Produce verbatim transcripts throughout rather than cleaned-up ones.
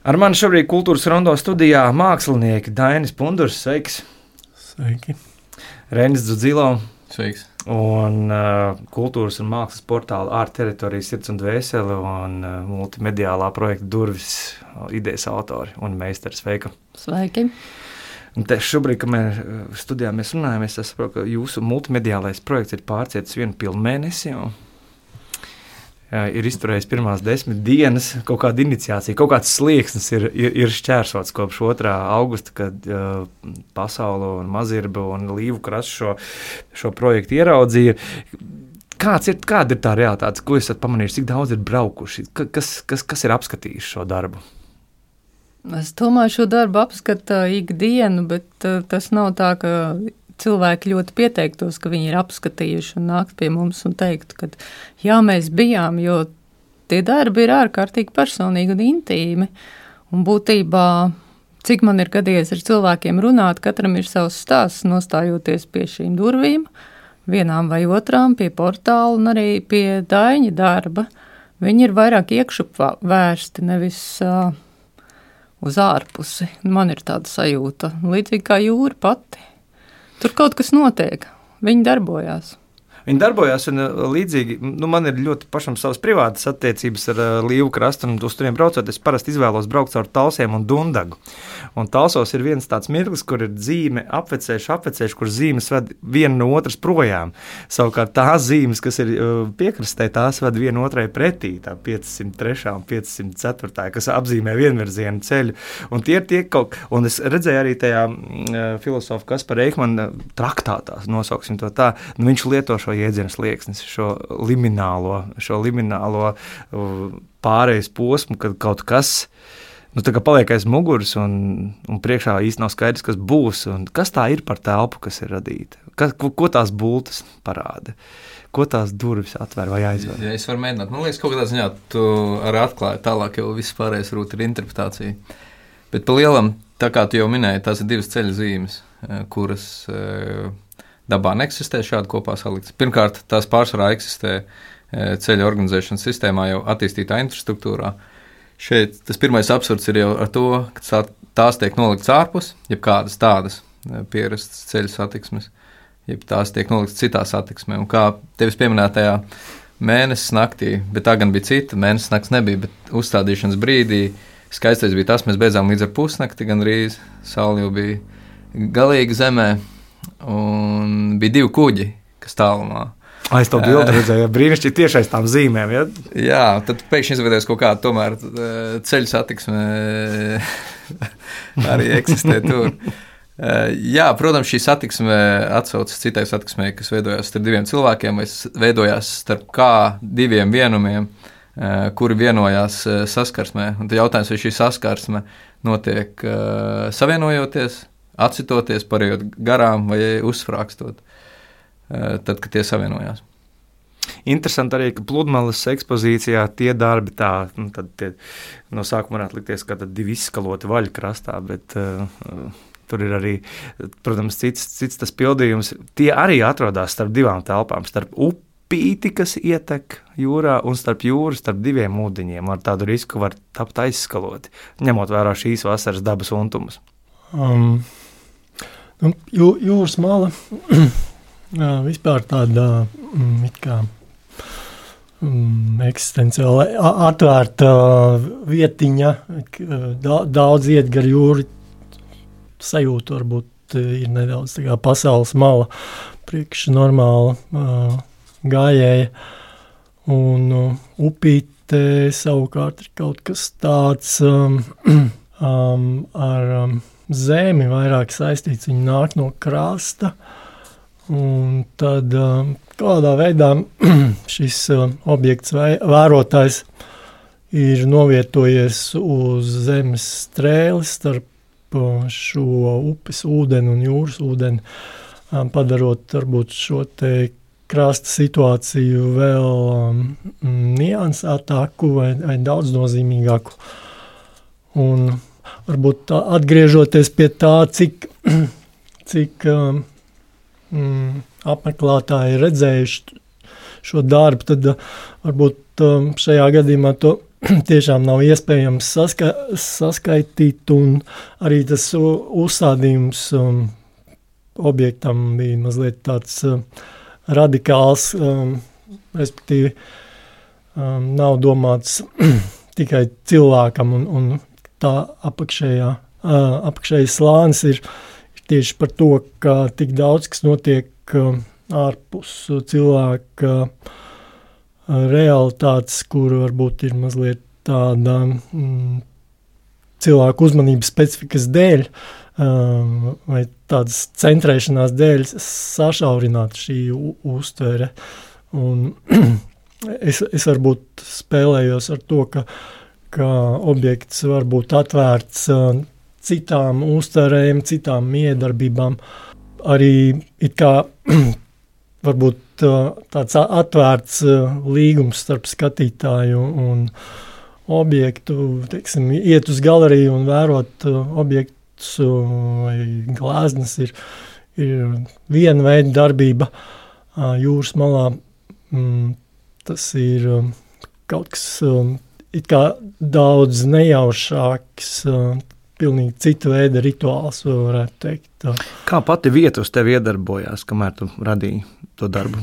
Ar mani šobrīd Kultūras Rondo studijā mākslinieki Dainis Pundurs, sveiks. Sveiki. Reinis Dzudzilo. Sveiks. Un uh, kultūras un mākslas portāla Art Teritorija Sirds un Dvēsele un uh, multimediālā projekta Durvis idejas autori un meistars. Sveika. Sveiki. Un te šobrīd, kad mēs studijā mēs runājam, es saprotu, ka jūsu multimediālais projekts ir pārcietis vienu pilnu mēnesi jau. Ir izturējis pirmās desmit dienas, kaut kāda iniciācija, kaut kāds slieksnis ir, ir, ir šķērsots kopš otrā augusta, kad uh, Pasaule un Mazirba un Līvu krasts šo, šo projektu ieraudzīja. Kāds ir, kāda ir tā realitāte, ko esat pamanījuši, cik daudz ir braukuši, kas, kas, kas ir apskatījuši šo darbu? Es domāju, šo darbu apskata ikdienu, bet uh, tas nav tā, ka cilvēki ļoti pieteiktos, ka viņi ir apskatījuši un nākt pie mums un teikt, ka jā, mēs bijām, jo tie darbi ir ārkārtīgi personīgi un intīmi. Un būtībā, cik man ir gadījies ar cilvēkiem runāt, katram ir savs stāsts, nostājoties pie šīm durvīm, vienām vai otrām, pie portāla un arī pie Daiņa darba. Viņi ir vairāk iekšup vērsti, nevis uh, uz ārpusi. Man ir tāda sajūta, līdzīgi kā jūra pati. Tur kaut kas notiek. Viņi darbojās. Viņi darbojās, un līdzīgi, nu, man ir ļoti pašam savas privātas attiecības ar uh, Līvu krastu, un uz turiem braucot, es parasti izvēlos braukt caur Talsiem un Dundagu. Un Talsos ir viens tāds mirklis, kur ir zīme apvecējuši, apvecējuši, kur zīmes ved viena no otras projām. Savukārt tās zīmes, kas ir uh, piekrastē, tās ved viena otrai pretī, tā piecsimt trešā un piecsimt ceturtā, kas apzīmē vienvirzienu ceļu. Un tie ir tie kaut, un es redzēju arī tajā uh, filosofa Kaspara Eikmana traktātā, nosauksim to tā, nu, viņš lieto šo jēdzienu slieksnis, šo liminālo, šo liminālo uh, pārejas posmu, kad kaut kas nu, tā kā paliek aiz muguras un, un priekšā īsti nav skaidrs, kas būs un kas tā ir par telpu, kas ir radīta. Kas, ko, ko tās bultas parāda? Ko tās durvis atver vai aizver? Ja es varu mēģināt, man liekas, kaut kādā ziņā tu arī atklāji tālāk, jau viss pārējais rūt ir interpretācija. Bet pa lielam, tā kā tu jau minēji, tās ir divas ceļa zīmes, kuras dabā neeksistē šādi kopā saliktas. Pirmkārt, tās pārsvarā eksistē ceļa organizēšanas sistēmā jau attīstītā infrastruktūrā. Šeit tas pirmais absurds ir jau ar to, ka tās tiek noliktas ārpus, jeb kādas tādas pierastas ceļa satiksmes, jeb tās tiek noliktas citā satiksmē. Un kā tevis pieminētajā mēnesis naktī, bet tā gan bija cita, mēnesis nakts nebija, bet uzstādīšanas brīdī skaistais bija tas, mēs beidzām līdz ar pusnakti, gandrīz saule jau bija galīgi zemē, un bija divi kuģi, kas tālumā. Es to bildi redzēju, brīnišķīgi tieši aiz tām zīmēm, ja? Jā, tad pēkšņi izveidojas kaut kāda tomēr ceļu satiksme arī eksistē tur. Jā, protams, šī satiksme atsaucas citai satiksmei, kas veidojās starp diviem cilvēkiem, vai veidojās starp kā diviem vienumiem, kuri vienojās saskarsmē. Un tad jautājums, vai šī saskarsme notiek savienojoties, atsitoties, parējot garām vai uzfrākstot, tad, kad tie savienojās. Interesanti arī, ka Pludmales ekspozīcijā tie darbi tā, nu, tad tie, no sākuma varētu likties, ka tad divi izskaloti vaļi krastā, bet uh, tur ir arī, protams, cits, cits tas pildījums. Tie arī atrodas starp divām telpām, starp upīti, kas ietek jūrā, un starp jūru, starp diviem ūdeņiem. Ar tādu risku var tapt aizskaloti, ņemot vērā šīs vasaras dabas untumus. Um, nu, jū, jūras mala jā, vispār tāda mm, it kā mm, eksistenciāli atvērta vietiņa, daudz iet gar jūru, sajūta varbūt ir nedaudz tā kā pasaules mala, priekš normāla uh, gājēja, un uh, upīte savukārt ir kaut kas tāds um, um, ar um, zemi vairāk saistīts, viņi nāk no krasta, un tad um, kādā veidā šis uh, objekts vai vērotājs ir novietojies uz zemes strēles starp uh, šo upes ūdeni un jūras ūdeni, um, padarot varbūt šo te krasta situāciju vēl um, niansētāku vai, vai daudz nozīmīgāku. Un varbūt tā, atgriežoties pie tā, cik, cik um, mm, apmeklētāji redzējuši šo darbu, tad uh, varbūt um, šajā gadījumā to tiešām nav iespējams saska saskaitīt, un arī tas uzstādījums um, objektam bija mazliet tāds uh, radikāls, um, respektīvi um, nav domāts tikai cilvēkam, un, un tā apakšējā, uh, apakšējais slānis ir, ir tieši par to, ka tik daudz, kas notiek uh, ārpus cilvēka uh, realitātes, kur varbūt ir mazliet tāda mm, cilvēku uzmanības specifikas dēļ um, vai tādas centrēšanās dēļ sašaurināt šī uztvere. Un es, es varbūt spēlējos ar to, ka, ka objekts var būt atvērts uh, citām uztverēm, citām miedarbībām. Arī it kā varbūt tāds atvērts līgums starp skatītāju un objektu, teiksim, iet uz galeriju un vērot objektus vai glāznes ir, ir viena veida darbība jūras malā. Tas ir kaut kas it kā daudz nejaušāks, pilnīgi cita veida rituāls, varētu teikt. Kā pati vieta uz tevi iedarbojās, kamēr tu radīji to darbu?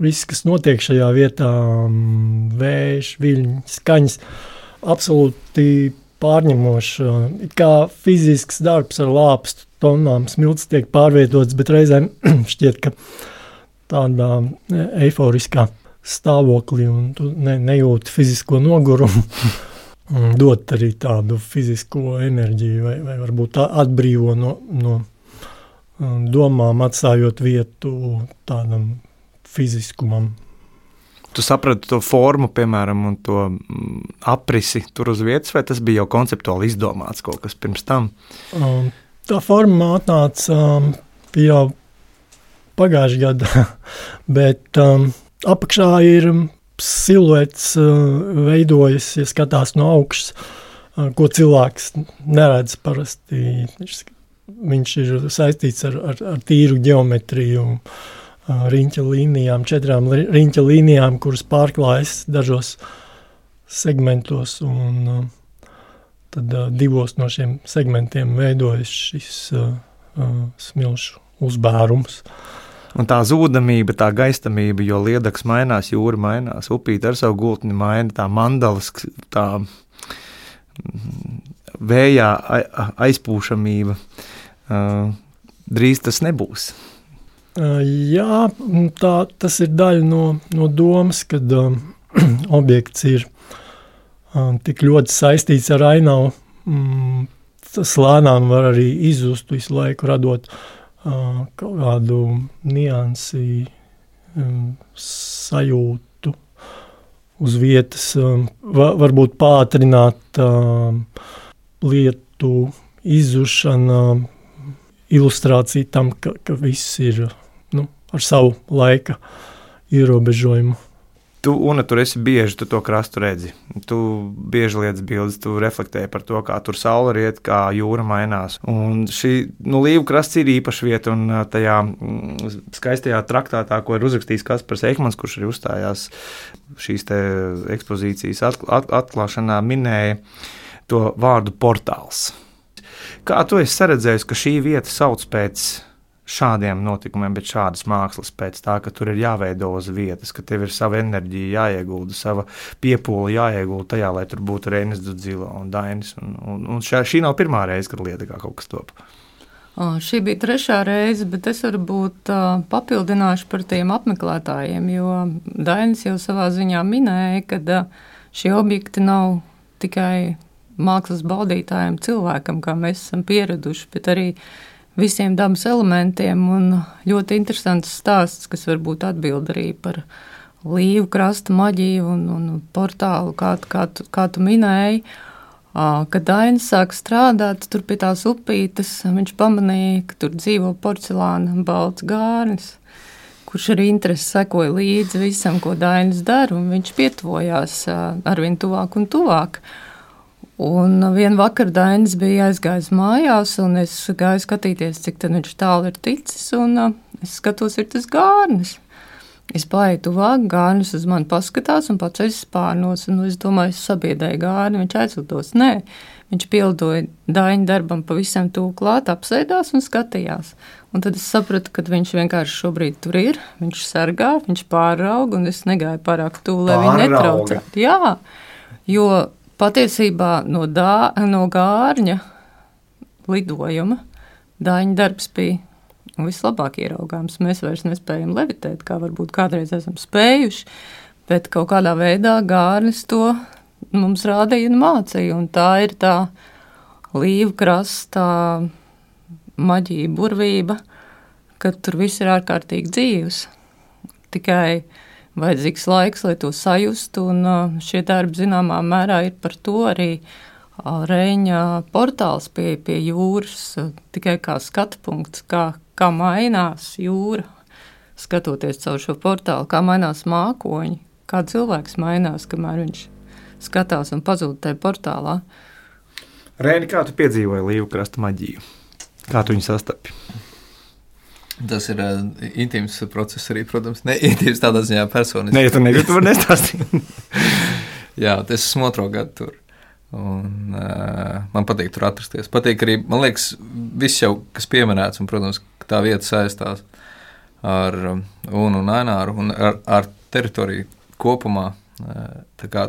Viss, kas notiek šajā vietā, vējš, viļņi, skaņas, absolūti pārņemoši. It kā fizisks darbs ar lāpstu tonām, smilts tiek pārvietots, bet reizēm šķiet, ka tādā eiforiskā stāvoklī un tu ne, nejūti fizisko nogurumu. Dot arī tādu fizisko enerģiju vai, vai varbūt atbrīvo no, no domām, atstājot vietu tādam fiziskumam. Tu saprati to formu, piemēram, un to aprisi tur uz vietas, vai tas bija jau konceptuāli izdomāts kaut kas pirms tam? Um, tā forma atnāca um, jau pagājušajā gadā, bet um, apakšā ir siluets uh, veidojas, ja skatās no augšas, uh, ko cilvēks neredz parasti. Viņš, viņš ir saistīts ar, ar, ar tīru ģeometriju, uh, riņķa līnijām, četrām riņķa līnijām, kuras pārklājas dažos segmentos, un uh, tad uh, divos no šiem segmentiem veidojas šis uh, uh, smilšu uzbērums. Un tā zūdamība, tā gaistamība, jo liedaks mainās, jūra mainās, upīte ar savu gultni maina, tā mandalas, tā vējā aizpūšamība, drīz tas nebūs. Jā, tā, tas ir daļa no, no domas, kad um, objekts ir um, tik ļoti saistīts ar ainavu, um, tas lēnām var arī izzust visu laiku, radot Uh, kaut kādu niansi, um, sajūtu uz vietas, um, va, varbūt pātrināt um, lietu izzušana, ilustrācija tam, ka, ka viss ir nu, ar savu laika ierobežojumu. Tu, Una, tur esi bieži, tu to krastu redzi. Tu bieži liec bildes, tu reflektēji par to, kā tur saule riet, kā jūra mainās. Un šī, nu, Līvu krasts ir īpaša vieta, un tajā skaistajā traktātā, ko ir uzrakstījis Kaspars Eikmans, kurš arī uzstājās šīs te ekspozīcijas atk- atklāšanā, minēja to vārdu portāls. Kā tu esi saredzējis, ka šī vieta sauc pēc šādiem notikumiem, bet šādas mākslas pēc tā, ka tur ir jāveido uz vietas, ka tev ir sava enerģija jāiegulda, sava piepūle jāiegulda tajā, lai tur būtu Reinis Dudzilo un Dainis. Un, un, un šā, šī nav pirmā reize, kad lieta kā kaut kas top. O, šī bija trešā reize, bet es varbūt uh, papildināšu par tiem apmeklētājiem, jo Dainis jau savā ziņā minēja, ka uh, šie objekti nav tikai mākslas baudītājiem cilvēkam, kā mēs esam pieraduši, bet arī visiem dabas elementiem, un ļoti interesants stāsts, kas varbūt atbild arī par Līvu krasta maģiju un, un portālu, kā, kā, tu, kā tu minēji. Kad Dainis sāk strādāt tur pie tās upītes, viņš pamanīja, ka tur dzīvo porcelāna balts gārnis, kurš arī interesi sekoja līdzi visam, ko Dainis dara, un viņš pietuvojās arvien tuvāk un tuvāk. Un vienu vakaru Dainis bija aizgājis mājās, un es gāju skatīties, cik tad viņš tālu ir ticis, un es skatos, ir tas gārnis. Es paeju tuvāk, Gārnis uz mani paskatās un paceļas spārnos, un es domāju, es sabiedēju Gārni, viņš aizlidos. Nē, viņš pildoja Daņa darbam pavisam tuvu klāt, apsēdās un skatījās. Un tad es sapratu, ka viņš vienkārši šobrīd tur ir, viņš sargā, viņš pārauga, un es negāju pārāk tuvu, lai viņu netraucētu. Jā, jo patiesībā no, dā, no Gārņa lidojuma Daņa darbs bija vislabāk ieraugāms. Mēs vairs nespējam levitēt, kā varbūt kādreiz esam spējuši, bet kaut kādā veidā Gārnis to mums rādīja un mācīja, un tā ir tā līvu krasta maģija, burvība, ka tur viss ir ārkārtīgi dzīvs. Tikai vajadzīgs laiks, lai to sajustu, un šie darbi zināmā mērā ir par to arī Reņa portāls pie, pie jūras, tikai kā skatu punkts, kā, kā mainās jūra, skatoties caur šo portālu, kā mainās mākoņi, kā cilvēks mainās, kamēr viņš skatās un pazūd tajā portālā. Reini, kā tu piedzīvoji līvu krasta maģiju? Kā tu viņu sastapi? Tas ir uh, intīms process arī, protams, ne intīms tādā ziņā personisks. Nē, ja tu negribi, tu vari nestāstīt. Jā, es esmu otro gadu tur. Un, uh, man patīk tur atrasties. Patīk arī, man liekas, viss jau, kas pieminēts, un, protams, tā vieta saistās ar um, Unu un Aināru un ar, ar teritoriju kopumā. Uh, tā kā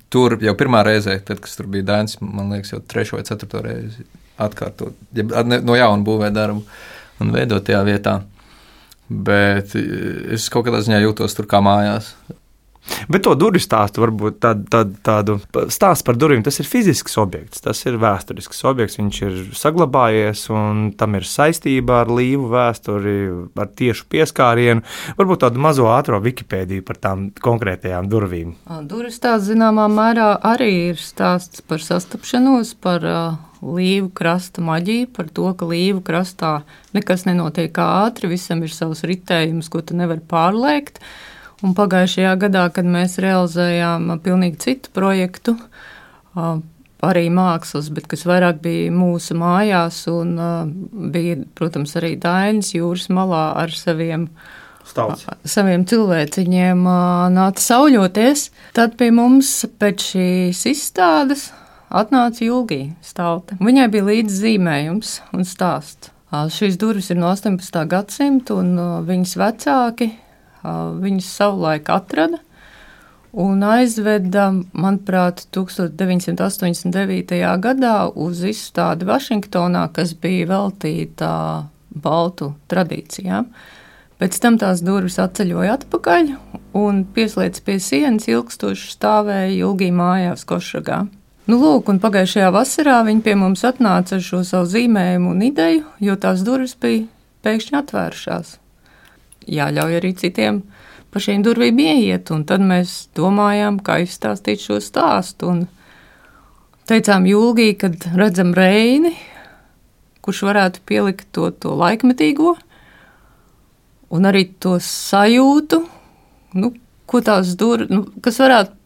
tur jau pirmā reizē, tad, kas tur bija Daņs, man liekas, jau trešo vai ceturto reizi atkārtot, ja, no jauna būvē darbu un veidot tajā vietā. Bet es kaut kādā ziņā jūtos tur kā mājās. Bet to durvju stāstu, varbūt tādu, tādu, tādu stāstu par durvīm, tas ir fizisks objekts, tas ir vēsturisks objekts, viņš ir saglabājies un tam ir saistība ar līvu vēsturi, ar tiešu pieskārienu. Varbūt tādu mazo ātro Wikipēdiju par tām konkrētajām durvīm. Durvju stāsts zināmā mērā arī ir stāsts par sastapšanos, par uh, līvu krasta maģiju, par to, ka līvu krastā nekas nenotiek ātri, visam ir savs ritējums, ko tu nevari pārliekt. Un pagājušajā gadā, kad mēs realizējām pilnīgi citu projektu, arī mākslas, bet kas vairāk bija mūsu mājās un bija, protams, arī Daļas jūras malā ar saviem, saviem cilvēciņiem nāca sauļoties, tad pie mums pēc šīs izstādes atnāca Julgija Stalte. Viņai bija līdz zīmējums un stāsts. Šīs durvis ir no astoņpadsmitā gadsimta un viņas vecāki viņas savulaik atrada un aizveda, manuprāt, tukstot deviņsimt astoņdesmit devītajā gadā uz izstādi Vašingtonā, kas bija veltīta baltu tradīcijām. Pēc tam tās durvis atceļoja atpakaļ un pieslēdz pie sienas ilgstoši stāvēja Julgija mājās Košragā. Nu, lūk, un pagājušajā vasarā viņi pie mums atnāca ar šo savu zīmējumu un ideju, jo tās durvis bija pēkšņi atvērušās. Jāļauj arī citiem pa šīm durvīm ieiet, un tad mēs domājām, kā izstāstīt šo stāstu, un teicām Julgī, kad redzam Reini, kurš varētu pielikt to, to laikmetīgo, un arī to sajūtu, nu, ko tās durvis, nu, kas varētu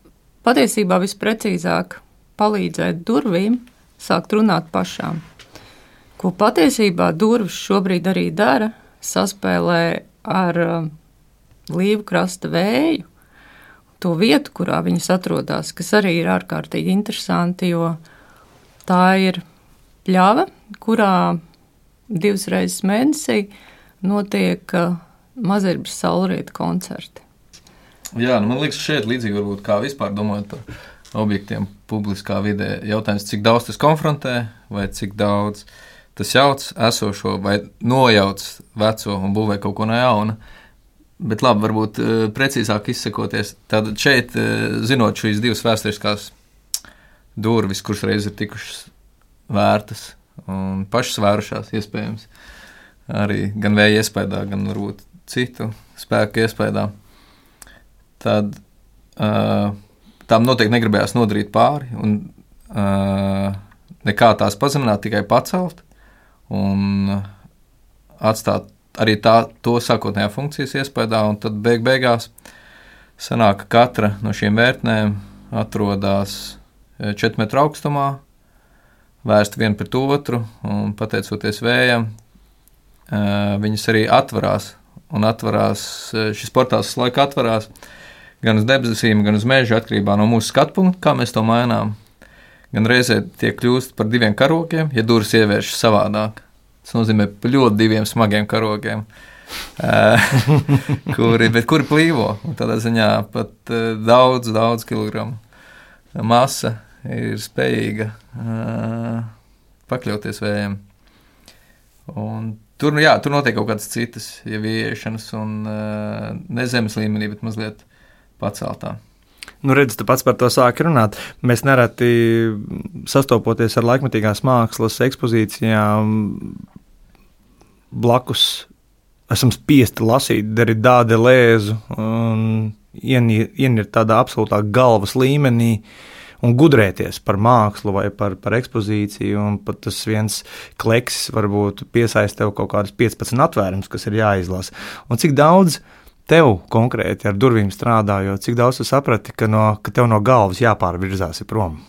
patiesībā visprecīzāk palīdzēt durvīm sākt runāt pašām. Ko patiesībā durvis šobrīd arī dara, saspēlē ar uh, līvu krasta vēju, to vietu, kurā viņas atrodas, kas arī ir ārkārtīgi interesanti, jo tā ir pļava, kurā divas reizes mēnesī notiek uh, Mazirbas saulrieta koncerti. Jā, nu man liekas, šeit līdzīgi varbūt kā vispār domājot par objektiem publiskā vidē. Jautājums, cik daudz tas konfrontē, vai cik daudz tas jauc esošo vai nojauc veco un būvē kaut ko no jauna. Bet labi, varbūt precīzāk izsakoties. Tātad šeit, zinot šīs divas vēsturiskās durvis, kuras reiz ir tikušas vērtas un pašas vērušās iespējams, arī gan vēja iespējā, gan varbūt citu spēku iespējā, tad uh, tām noteikti negribējās nodarīt pāri un uh, nekā tās pazemināt, tikai pacelt un atstāt arī tā, to sākotnējā funkcijas iespējā, un tad beig beigās sanāk, ka katra no šīm vērtnēm atrodas četru metru augstumā, vērst vienu pret otru, un pateicoties vējam, viņas arī atverās un atverās, šis portāls laika atverās gan uz debesīm, gan uz mežu atkarībā no mūsu skatu punkta, kā mēs to mainām. Gan reizē tie kļūst par diviem karogiem, ja durvis ievēršas savādāk. Tas nozīmē par ļoti diviem smagiem karogiem, kuri, bet kuri plīvo. Un tādā ziņā pat daudz, daudz kilogramu masa ir spējīga pakļauties vējiem. Un tur, jā, tur notiek kaut kādas citas jau ieiešanas un ne zemes līmenī, bet mazliet paceltā. Nu, redz, tu pats par to sāki runāt. Mēs nereti sastopoties ar laikmetīgās mākslas ekspozīcijām blakus esam spiesti lasīt Derrida, Deleuzu un ienirt tādā absolūtā galvas līmenī un gudrēties par mākslu vai par, par ekspozīciju, un pat tas viens kleksis varbūt piesaist tev kaut kādas piecpadsmit atvērums, kas ir jāizlasa. Un cik daudz tev konkrēti ar durvīm strādājot, cik daudz tu saprati, ka, no, ka tev no galvas jāpārvirzās ir prom?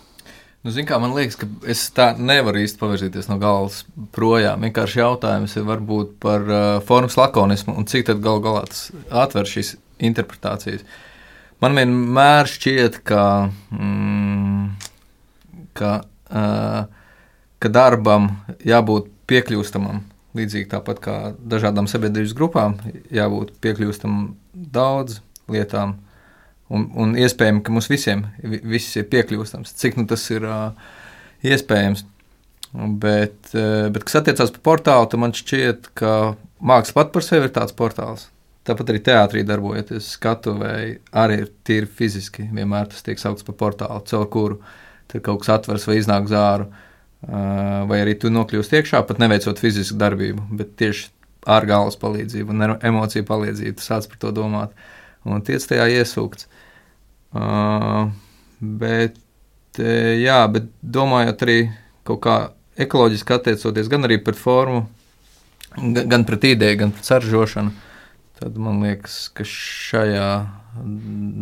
Nu, zin kā, man liekas, ka es tā nevaru īsti pavirzīties no galvas projām. Vienkārši jautājums ir varbūt par uh, formas lakonismu un cik tad gal galā tas atver šīs interpretācijas. Man vienmēr šķiet, ka, mm, ka, uh, ka darbam jābūt piekļūstamam, līdzīgi tāpat kā dažādām sabiedrības grupām, jābūt piekļūstamam daudz lietām, un, un iespējami, ka mums visiem viss ir piekļūstams, cik nu tas ir uh, iespējams. Bet, uh, bet, kas attiecās par portālu, tad man šķiet, ka māksla pat par sevi ir tāds portāls. Tāpat arī teātrī darbojoties skatuvēji arī ir tīri fiziski. Vienmēr tas tiek saukts par portālu, caur kuru tur kaut kas atvers vai iznāk zāru, vai arī tu nokļūst iekšā, pat neveicot fizisku darbību, bet tieši ar galvas palīdzību un emociju palīdzību tu sāc par to domāt un tiec tajā iesūkts. Bet, jā, bet domājot arī kaut kā ekoloģiski attiecoties gan arī pret formu, gan pret ideju, gan pret saražošanu, tad man liekas, ka šajā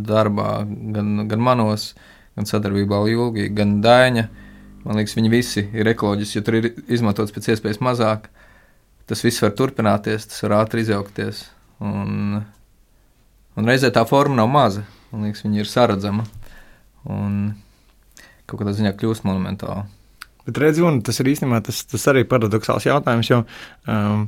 darbā, gan, gan manos, gan sadarbībā ar Julgi, gan Daiņa, man liekas, viņi visi ir ekoloģiski, jo tur ir izmantots pēc iespējas mazāk. Tas viss var turpināties, tas var ātri izaugties. Un, un reizē tā forma nav maza. Man liekas, viņa ir saredzama. Un kaut kādā ziņā kļūst monumentāla. Bet redzi, un tas ir īstenībā tas, tas arī paradoxāls jautājums, jo um,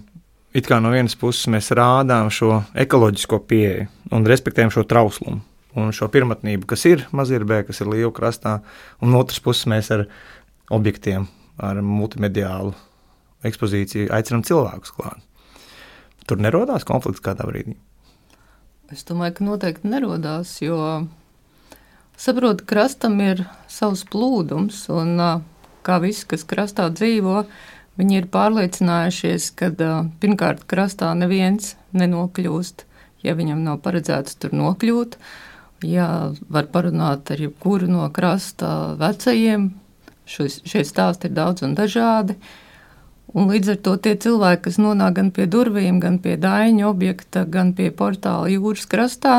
it kā no vienas puses mēs rādām šo ekoloģisko pieeju un respektējam šo trauslumu un šo pirmatnību, kas ir Mazirbē, kas ir Līvu krastā, un no otras puses mēs ar objektiem, ar multimediālu ekspozīciju aicinām cilvēkus klāt. Tur nerodās konflikts kādā brīdī? Es domāju, ka noteikti nerodās, jo saprotu, krastam ir savs plūdums, un kā visi, kas krastā dzīvo, viņi ir pārliecinājušies, ka pirmkārt krastā neviens nenokļūst, ja viņam nav paredzēts tur nokļūt. Ja var parunāt ar jebkuru no krasta vecajiem, šis, šie stāsti ir daudz un dažādi. Un līdz ar to tie cilvēki, kas nonāk gan pie durvīm, gan pie Daiņa objekta, gan pie portāla jūras krastā,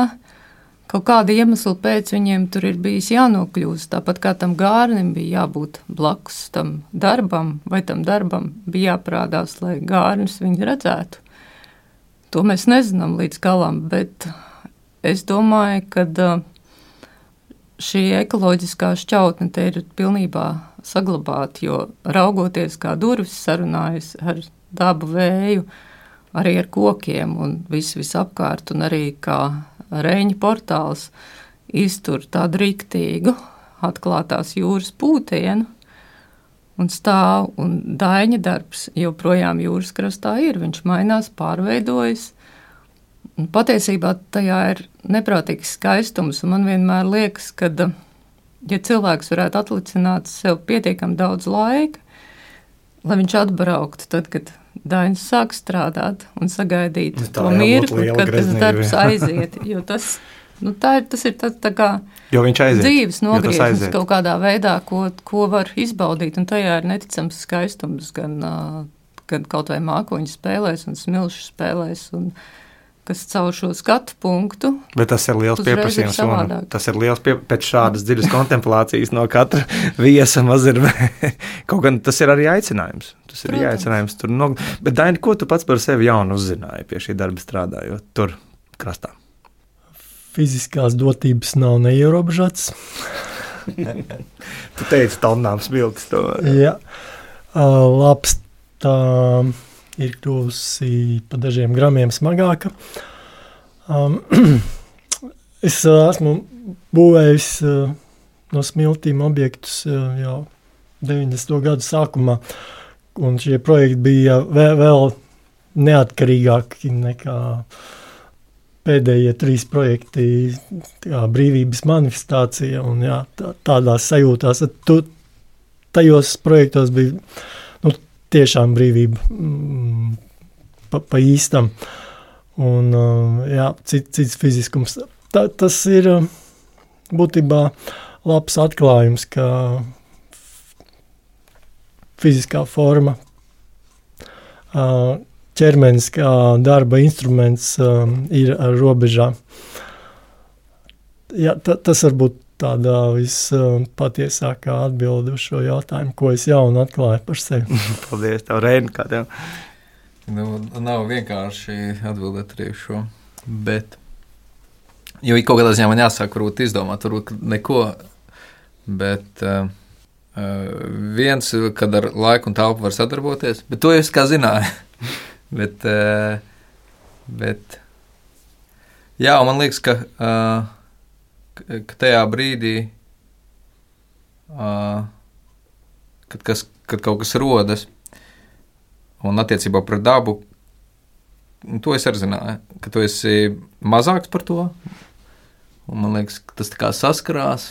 kaut kāda iemesla pēc viņiem tur ir bijis jānokļūst. Tāpat kā tam gārnim bija jābūt blakus tam darbam, vai tam darbam bija jāprādās, lai gārnis viņu redzētu. To mēs nezinām līdz galam, bet es domāju, ka šī ekoloģiskā šķautne te ir pilnībā saglabāta, jo raugoties kā durvis sarunājas ar dabu vēju, arī ar kokiem un visu visapkārt, un arī kā Reņa portāls iztur tādu riktīgu atklātās jūras pūtienu un stāv, un Daiņa darbs joprojām jūras krastā ir, viņš mainās, pārveidojas. Un patiesībā tajā ir neprātīgs skaistums, un man vienmēr liekas, ka, ja cilvēks varētu atlicināt sev pietiekami daudz laika, lai viņš atbrauktu tad, kad Dainis sāk strādāt un sagaidīt tā to mirkli, kad tas darbs aiziet, jo tas, nu, tā ir, tas ir tā, tā kā aiziet, dzīves nogrieznis kaut kādā veidā, ko, ko var izbaudīt, un tajā ir neticams skaistums, gan, gan kaut vai mākoņu spēlēs un smilšu spēlēs, un kas caur šo skatu punktu. Bet tas ir liels uzreiz ir pieprasījums. Un savādāk. tas ir liels pie, pēc šādas dziļas kontemplācijas no katra viesa maz ir. Kaut gan tas ir arī aicinājums. Tas ir Protams. aicinājums tur. No, bet, Daini, ko tu pats par sevi jaunu uzzināji pie šī darba strādājot tur krastā? Fiziskās dotības nav neierobežotas. Tu teici, tonnām smiltis to. Jā, uh, labs tā ir kļuvusi pa dažiem gramiem smagāka. Um, es uh, esmu būvējis uh, no smiltīm objektus uh, jau deviņdesmito gadu sākumā, un šie projekti bija vēl, vēl neatkarīgāki nekā pēdējie trīs projekti, tā brīvības manifestācija un jā, tā, tādās sajūtās. Tu, tajos projektos bija nu, tiešām brīvība mm, pa, pa īstam un jā, cit, cits fiziskums. Tā, tas ir būtībā labs atklājums, ka fiziskā forma uh, ķermenis kā darba instruments um, ir ar robežām. Jā, ta, tas varbūt tādā vispatiesākā atbilde uz šo jautājumu, ko es jaunu atklāju par sevi. Paldies, tev, Reini, kā tev? Nu, nav vienkārši atbildēt arī šo, bet, jo ik kaut kādā ziņā man jāsāk varbūt izdomāt, varbūt neko, bet uh, viens, kad ar laiku un telpu var sadarboties, bet to es kā zināju. Bet, uh, bet jā, man liekas, ka, uh, ka tajā brīdī, uh, kad, kas, kad kaut kas rodas, un attiecībā pret dabu, to es arī zināju, ka tu esi mazāks par to, un man liekas, ka tas tā kā saskarās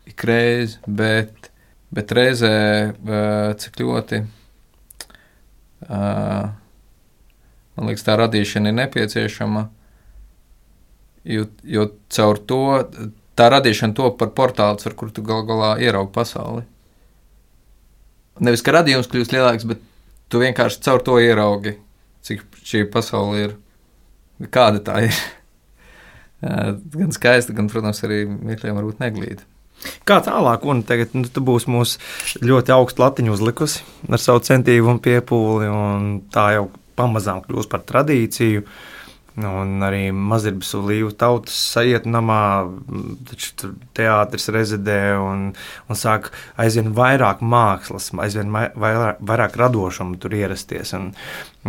ikreiz, bet, bet reizē uh, cik ļoti uh, man liekas, tā radīšana ir nepieciešama, jo, jo caur to, tā radīšana top par portāls, ar kur tu gal galā ieraugi pasauli. Nevis, ka radījums kļūst lielāks, bet tu vienkārši caur to ieraugi, cik šī pasaule ir, kāda tā ir. Gan skaista, gan, protams, arī mirkļiem varbūt neglīta. Kā tālāk, un tagad nu, tu būsi mūs ļoti augstu latiņu uzlikusi ar savu centību un piepūli, un tā jau pamazām kļūst par tradīciju, un arī Mazirbas un Līvu tautas sajietnamā, taču teātris rezidē un, un sāk aizvien vairāk mākslas, aizvien vairāk, vairāk radošumu tur ierasties. Un,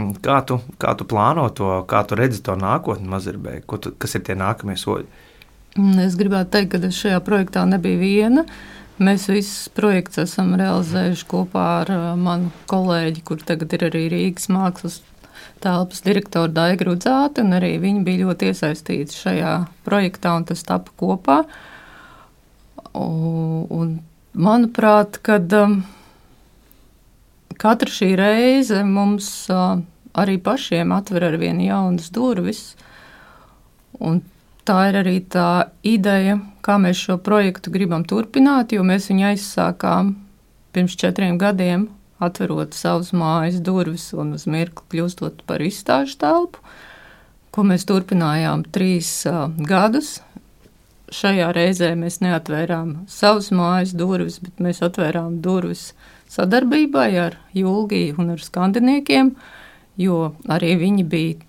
un kā, tu, kā tu plāno to, kā tu redzi to nākotni Mazirbai, ko tu, kas ir tie nākamie soļi? Es gribētu teikt, ka es šajā projektā nebiju viena. Mēs visus projektus esam realizējuši kopā ar manu kolēģi, kur tagad ir arī Rīgas mākslas telpas direktora Daiga Rudzāte, un arī viņi bija ļoti iesaistīti šajā projektā, un tas tapa kopā. Un, un manuprāt, kad um, katra šī reize mums uh, arī pašiem atver ar vienu jaunas durvis, un tā ir arī tā ideja, kā mēs šo projektu gribam turpināt, jo mēs viņu aizsākām pirms četriem gadiem, atverot savus mājas durvis un uz mirkli kļūstot par izstāžu telpu, ko mēs turpinājām trīs uh, gadus. Šajā reizē mēs neatvērām savus mājas durvis, bet mēs atvērām durvis sadarbībai ar Julgiju un ar skandiniekiem, jo arī viņi bija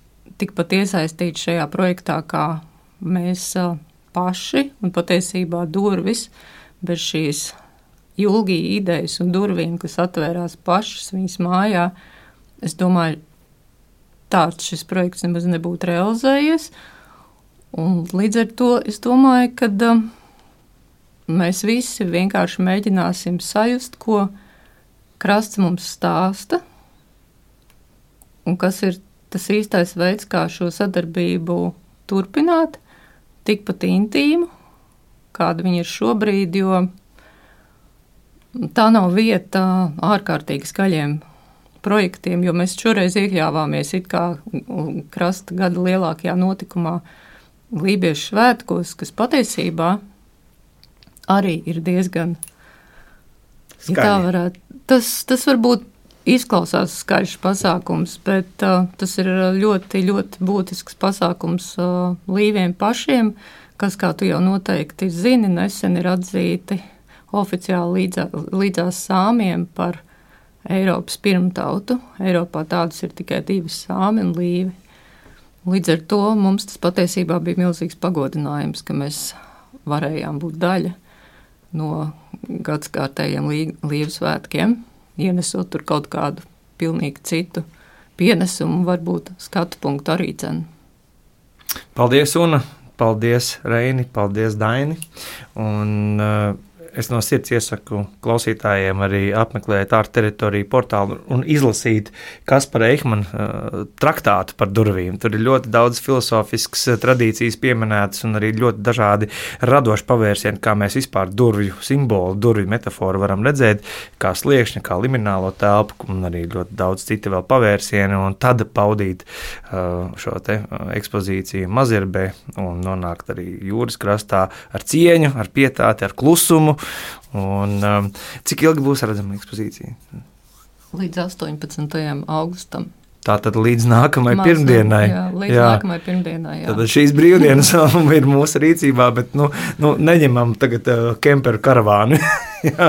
tikpat iesaistīti šajā projektā, kā mēs uh, paši, un patiesībā durvis bez šīs Julgija idejas un durvīm, kas atvērās pašas viņas mājā, es domāju, tāds šis projekts nemaz nebūtu realizējies. Un līdz ar to es domāju, ka uh, mēs visi vienkārši mēģināsim sajust, ko krasts mums stāsta, un kas ir tas īstais veids, kā šo sadarbību turpināt, tikpat intīmu, kāda viņa ir šobrīd, jo tā nav vieta ārkārtīgi skaļiem projektiem, jo mēs šoreiz iekļāvāmies it kā krasta gada lielākajā notikumā Lībiešu svētkos, kas patiesībā arī ir diezgan, ja tā varētu, tas, tas varbūt izklausās skaļš pasākums, bet uh, tas ir ļoti, ļoti būtisks pasākums uh, līviem pašiem, kas, kā tu jau noteikti zini, nesen ir atzīti oficiāli līdzā, līdzās sāmiem par Eiropas pirmtautu. Eiropā tādas ir tikai divas sāmi un līvi. Līdz ar to mums tas patiesībā bija milzīgs pagodinājums, ka mēs varējām būt daļa no gadskārtējiem līvu svētkiem, ienesot tur kaut kādu pilnīgi citu pienesumu, varbūt skatu punktu arī cenu. Paldies, Una! Paldies, Reini! Paldies, Daini! Un uh, es no sirds iesaku klausītājiem arī apmeklēt Art teritoriju portālu un izlasīt Kaspara Eichmana uh, traktātu par durvīm. Tur ir ļoti daudz filosofiskas tradīcijas pieminētas un arī ļoti dažādi radoši pavērsieni, kā mēs vispār durvju simbolu, durvju metaforu varam redzēt, kā sliekšņa, kā liminālo telpu un arī ļoti daudz citi vēl pavērsieni, un tad paudīt uh, šo te uh, ekspozīciju Mazirbē un nonākt arī jūras krastā ar cieņu, ar pietāti, ar klusumu. Un, um, cik ilgi būs redzama ekspozīcija? Līdz astoņpadsmitajam augustam. Tātad līdz nākamajai Māc, pirmdienai. Jā, līdz jā. nākamajai pirmdienai, jā. Tad šīs brīvdienas ir mūsu rīcībā, bet nu, nu, neņemam tagad uh, kemperu karavānu jā,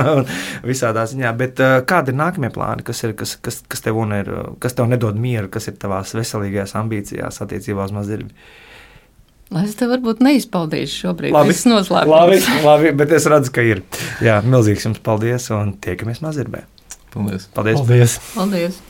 visādā ziņā. Bet uh, kādi ir nākamie plāni? Kas, ir, kas, kas, kas, tev ir, kas tev nedod mieru, kas ir tavās veselīgajās ambīcijās attiecībā uz Mazirbi? Es te varbūt neizpaudīšu šobrīd. Labi, es noslēpums. Labi, labi, bet es redzu, ka ir. Jā, milzīgs jums paldies un tiekamies Mazirbē. Paldies. Paldies. Paldies. Paldies.